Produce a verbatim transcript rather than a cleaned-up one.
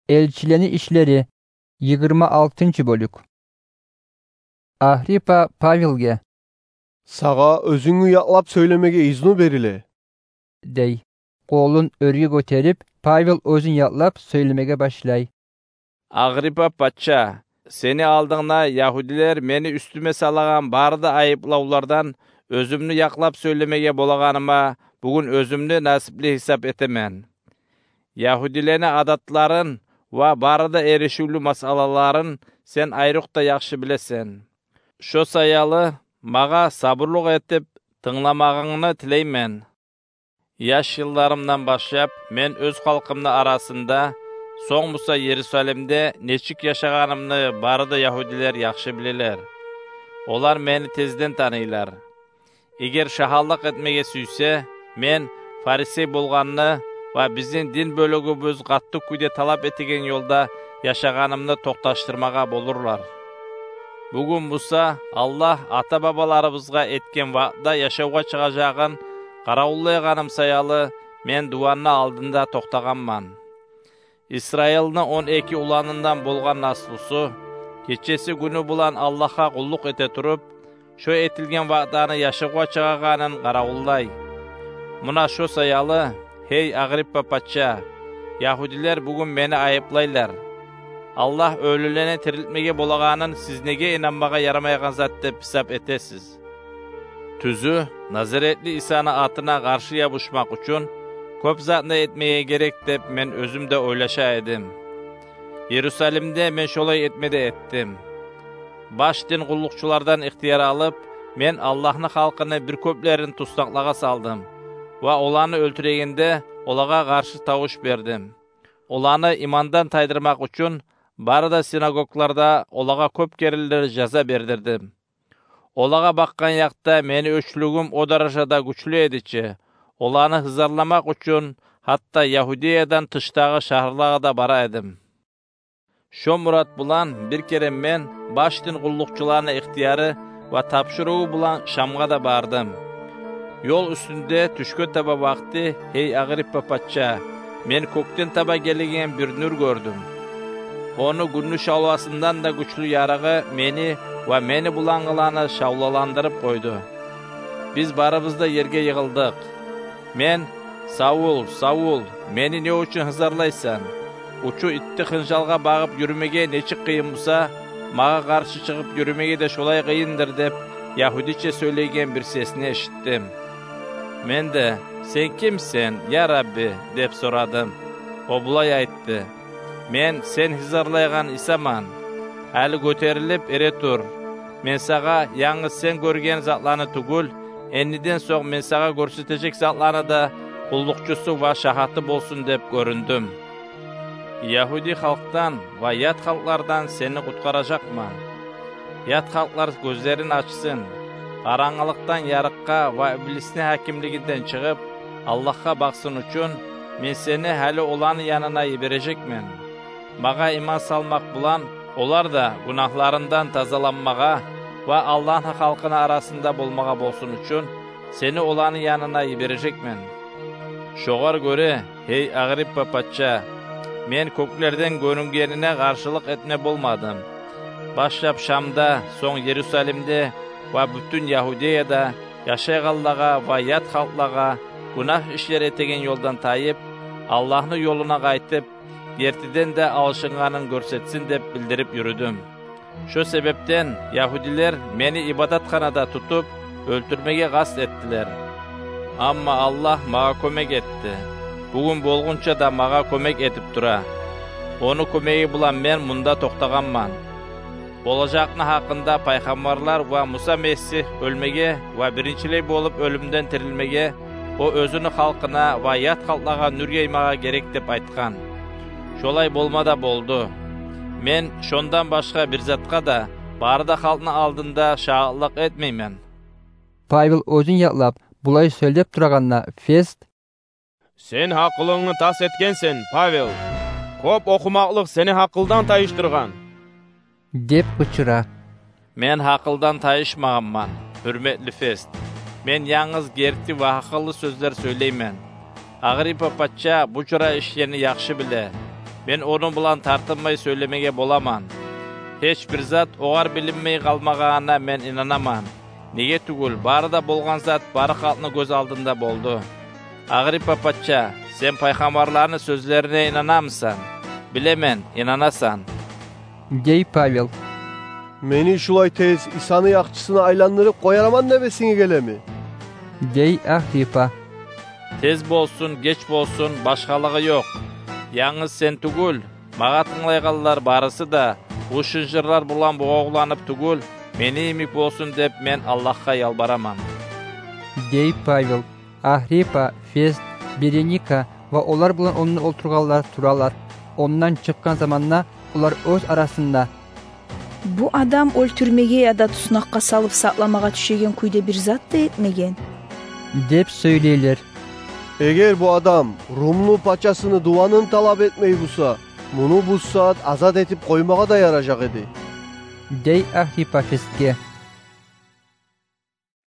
Элчилени ишлери, йигирма алтынчы бёлюк. Агриппа Павелге: «Сагъа оьзюнгню якълап сёйлемеге изну бериле», — дей. Къолун оьрге гётерип, Павел оьзюн якълап сёйлемеге башлай. «Агриппа пача, сени алдынгда ягьудилер мени уьстюме салагъан бары да айыплавлардан оьзюмню якълап сёйлемеге болагъаныма бугюн оьзюмню насипли гьисап этемен. Ягьудилени адатларын ва бары да эришивлю масъалаларын сен айрокъда яхшы билесен. Шо саялы магъа сабурлукъ этип тынгламагъынгны тилеймен. Яш йылларымдан башлап мен оьз халкъымны арасында, сонг буса Иерусалимде нечик яшагъанымны бары да ягьудилер яхшы билелер. Олар мени тезден таныйлар. Эгер шагьаллыкъ этмеге сюйсе, мен фарисей болгъанны ва бизин дин бёлюгюбюз къатты кюйде талап этеген ёлда яшагъанымны токъташдырмагъа болурлар. Бугюн буса Аллагь ата-бабаларыбызгъа этген ваъда яшавгъа чыгъажагъын къаравуллайгъаным саялы, мен дуванны алдында токътагъанман. Исраилни он эки уланындан болгъан наслусу, гечеси-гюню булан Аллагьгъа къуллукъ эте туруп, шо этилген ваъданы яшавгъа чыгъагъанын къаравуллай. Муна шо саялы, гьей Агриппа пача, ягьудилер бугюн мени айыплайлар. Аллагь оьлюлени тирилтмеге болагъанын сиз неге инанмагъа ярамайгъан зат деп гьисап этесиз? Тюзю, Назаретли Исаны атына къаршы ябушмакъ учун кёп затны этмеге герек деп мен оьзюм де ойлаша эдим. Иерусалимде мен шолай этме де этдим. Баш дин къуллукъчулардан ихтияр алып, мен Аллагьны халкъыны бир кёплерин туснакълагъа салдым ва оланы оьлтюрегенде олагъа къаршы тавуш бердим. Оланы имандан тайдырмакъ учун бары да синагогларда олагъа кёп керенлер жаза бердирдим. Олагъа бакъгъан якъда мени оьчлюгюм о даражада гючлю эди чи, оланы гьызарламакъ учун гьатта Ягьудиядан тышдагъы шагьарлагъа да бара эдим. Шо мурат булан бир керен мен баш дин къуллукъчуланы ихтияры ва тапшуруву булан Шамгъа да бардым. Ёл уьстюнде тюшге таба вакъти, гьей Агриппа пача, мен кёкден таба гелеген бир нюр гёрдюм. Ону гюнню шавласындан да гючлю ярыгъы мени ва мени булангъыланы шавлаландырып къойду. Биз барыбыз да ерге йыгъылдыкъ. Мен: «Савул, Савул, мени не учун гьызарлайсан? Учу итти хынжалгъа багъып юрюмеге нечик къыйын буса, магъа къаршы чыгъып юрюмеге де шолай къыйындыр», — деп, ягьудиче сёйлейген бир сесни эшитдим. Мен де: «Сен кимсен, я Рабби?» — деп сорадым. О булай айтды: «Мен сен гьызарлайгъан Исаман. Гьали гётерилип эретур. Мен сагъа янгыз сен гёрген затланы тюгюл, эндиден сонг мен сагъа гёрсетежек затланы да къуллукъчусу ва шагьаты болсун деп гёрюндюм. Ягьуди халкъдан ва ят халкълардан сени къутгъаражакъман. Ят халкълар гёзлерин ачсын, къарангылыкъдан ярыкъгъа ва иблисни гьакимлигинден чыгъып, Аллагьгъа бакъсын учун, мен сени гьали оланы янына йибережекмен. Магъа иман салмакъ булан олар да гюнагьларындан тазаланмагъа ва Аллагьны халкъыны арасында болмагъа болсун учун, сени оланы янына йибережекмен. Шогъар гёре, гьей Агриппа пача, мен кёклерден гёрюнгенине къаршылыкъ этме болмадым. Башлап Шамда, сонг Иерусалимде ва бютюн Ягьудияда яшайгъанлагъа ва ят халкълагъа гюнагь ишлер этеген ёлдан тайып, Аллагьны ёлуна къайтып, гертиден де алышынгъанын гёрсетсин деп билдирип юрюдюм. Шо себепден ягьудилер мени ибадатханада тутуп, оьлтюрмеге къаст этдилер. Амма Аллагь магъа кёмек этди. Бугюн болгъунча да магъа кёмек этип тура. Ону кёмеги булан мен мунда токътагъанман. Болажакъны гьакъында пайхаммарлар ва Муса Месигь оьлмеге ва биринчилей болуп оьлюмден тирилмеге, о оьзюню халкъына ва ят халкълагъа нюр яймагъа герек деп айтгъан. Шолай болма да болду. Мен шондан башгъа бир затгъа да бары да халкъны алдында шагьатлыкъ этмеймен». Павел оьзюн якълап булай сёйлеп турагъанда, Фест: «Сен гьакъылынгны тас этгенсен, Павел. Кёп охумакълыкъ сени гьакъылдан тайышдыргъан», — деп къычыра. «Мен гьакъылдан тайышмагъанман, гьюрметли Фест. Мен янгыз герти ва гьакъыллы сёзлер сёйлеймен. Агриппа пача бу чура ишлени яхшы биле. мен ону булан тартынмай сёйлемеге боламан. Гьеч бир зат огъар билинмей къалмагъанына мен инанаман. Неге тюгюл, бары да болгъан зат бары халкъны гёз алдында болду. Агриппа пача, сен пайхаммарланы сёзлерине инанамысан? Билемен, инанасан, — дей Павел. — Мени шулай тез Исаны яхчысына айландырып къояраман деп эсинге гелеми? — дей Агриппа. — Тез болсун, геч болсун, башгъалыгъы ёкъ. Янгыз сен тюгюл, магъа тынглайгъанлар барысы да бу шынжырлар булан бугъавланып тюгюл, мени йимик болсун деп мен Аллагьгъа ялбараман, — дей Павел. Агриппа, Фест, Береника ва олар булан онда олтургъанлар туралар. Ондан чыкъгъан заманда олар оьз арасында: «Бу адам оьлтюрмеге яда туснакъгъа салып сакъламагъа тюшеген кюйде бир зат да этмеген», — деп сёйлейлер. — Эгер бу адам румлу пачасыны дуванын талап этмей буса, муну бу сагьат азат этип къоймагъа да яражакъ эди, — дей Агриппа Фестге.